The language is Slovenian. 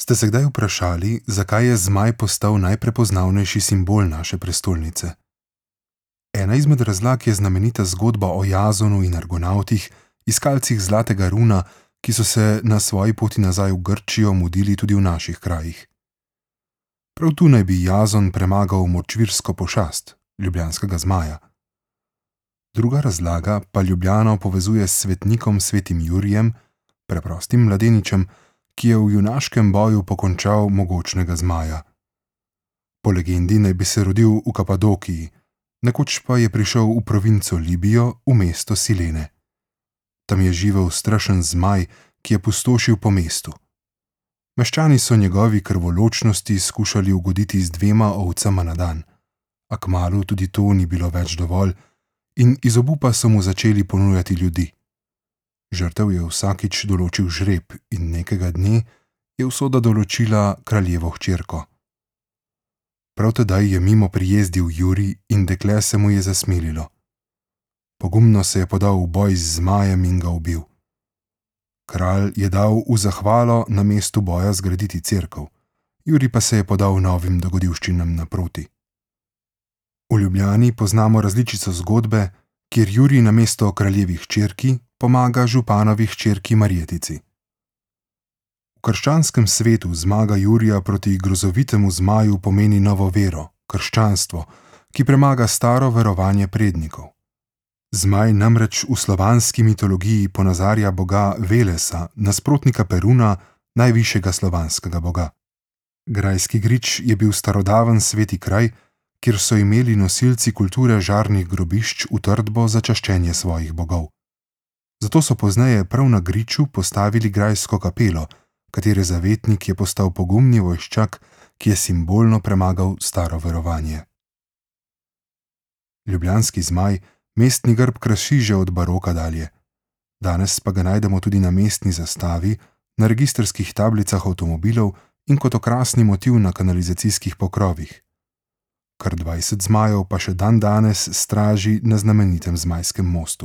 Ste se kdaj vprašali, zakaj je zmaj postal najprepoznavnejši simbol naše prestolnice? Ena izmed razlag je znamenita zgodba o Jazonu in Argonavtih, iskalcih zlatega runa, ki so se na svoji poti nazaj v Grčijo mudili tudi v naših krajih. Prav tu naj bi Jazon premagal močvirsko pošast, ljubljanskega zmaja. Druga razlaga pa Ljubljano povezuje s svetnikom svetim Jurijem, preprostim mladeničem, ki je v junaškem boju pokončal mogočnega zmaja. Po legendi naj bi se rodil v Kapadokiji, nekoč pa je prišel v provinco Libijo, v mesto Silene. Tam je živel strašen zmaj, ki je pustošil po mestu. Meščani so njegovi krvoločnosti skušali ugoditi z 2 ovcama na dan, a kmalu tudi to ni bilo več dovolj in iz obupa so mu začeli ponujati ljudi. Žrtev je vsakič določil žreb in nekega dne je usoda določila kraljevo hčerko. Prav tedaj je mimo prijezdil Jurij in dekle se mu je zasmililo. Pogumno se je podal v boj z zmajem in ga ubil. Kralj je dal v zahvalo na mestu boja zgraditi cerkev, Jurij pa se je podal novim dogodivščinam naproti. V Ljubljani poznamo različico zgodbe, kjer Jurij namesto kraljevi hčerki pomaga županovi hčerki Marjetici. V krščanskem svetu zmaga Jurija proti grozovitemu zmaju pomeni novo vero, krščanstvo, ki premaga staro verovanje prednikov. Zmaj namreč v slovanski mitologiji ponazarja boga Velesa, nasprotnika Peruna, najvišjega slovanskega boga. Grajski grič je bil starodaven sveti kraj, kjer so imeli nosilci kulture žarnih grobišč utrdbo za čaščenje svojih bogov. Zato so pozneje prav na griču postavili grajsko kapelo, katere zavetnik je postal pogumni vojščak, ki je simbolno premagal staro verovanje. Ljubljanski zmaj mestni grb krasi že od baroka dalje. Danes pa ga najdemo tudi na mestni zastavi, na registrskih tablicah avtomobilov in kot okrasni motiv na kanalizacijskih pokrovih. Kar 20 zmajev pa še dandanes straži na znamenitem Zmajskem mostu.